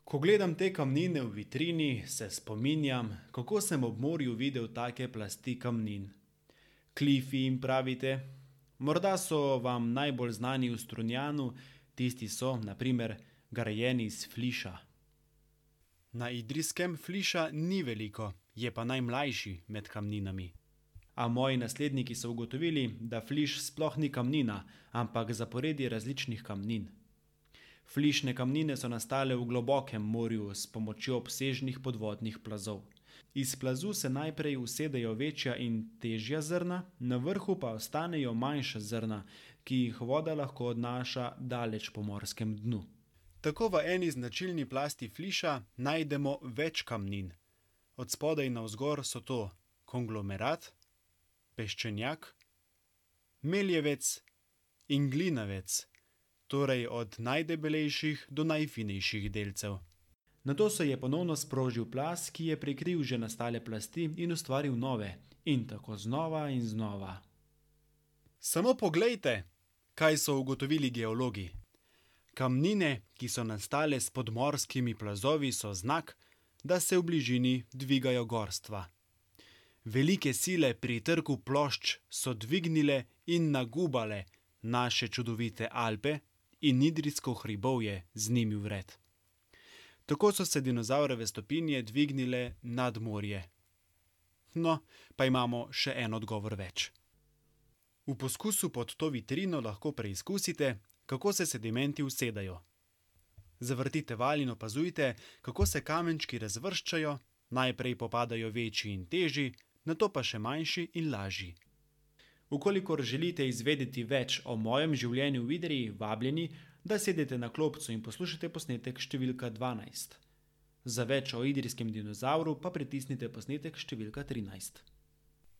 Ko gledam te kamnine v vitrini, se spominjam, kako sem ob morju videl take plasti kamnin. Klifi jim pravite? Morda so vam najbolj znani v Strunjanu, tisti so, na primer, grajeni iz fliša. Na Idrijskem fliša ni veliko, je pa najmlajši med kamninami. A moji nasledniki so ugotovili, da fliš sploh ni kamnina, ampak zaporedje različnih kamnin. Flišne kamnine so nastale v globokem morju s pomočjo obsežnih podvodnih plazov. Iz plazu se najprej usedejo večja in težja zrna, na vrhu pa ostanejo manjša zrna, ki jih voda lahko odnaša daleč po morskem dnu. Tako v eni značilni plasti fliša najdemo več kamnin. Od spodaj navzgor so to konglomerat, peščenjak, meljevec in glinavec, torej od najdebelejših do najfinejših delcev. Nato se je ponovno sprožil plaz, ki je prekril že nastale plasti in ustvaril nove, in tako znova in znova. Samo poglejte, kaj so ugotovili geologi. Kamnine, ki so nastale s podmorskimi plazovi, so znak, da se v bližini dvigajo gorstva. Velike sile pri trku plošč so dvignile in nagubale naše čudovite Alpe in Idrijsko hribovje z njimi vred. Tako so se dinozavrove stopinje dvignile nad morje. No, pa imamo še en odgovor več. V poskusu pod to vitrino lahko preizkusite, kako se sedimenti usedajo. Zavrtite valj in opazujte, kako se kamenčki razvrščajo, najprej popadajo večji in težji, nato pa še manjši in lažji. Ukolikor želite izvedeti več o mojem življenju v Idriji, vabljeni, da sedete na klopco in poslušate posnetek številka 12. Za več o idrijskem dinozavru pa pritisnite posnetek številka 13.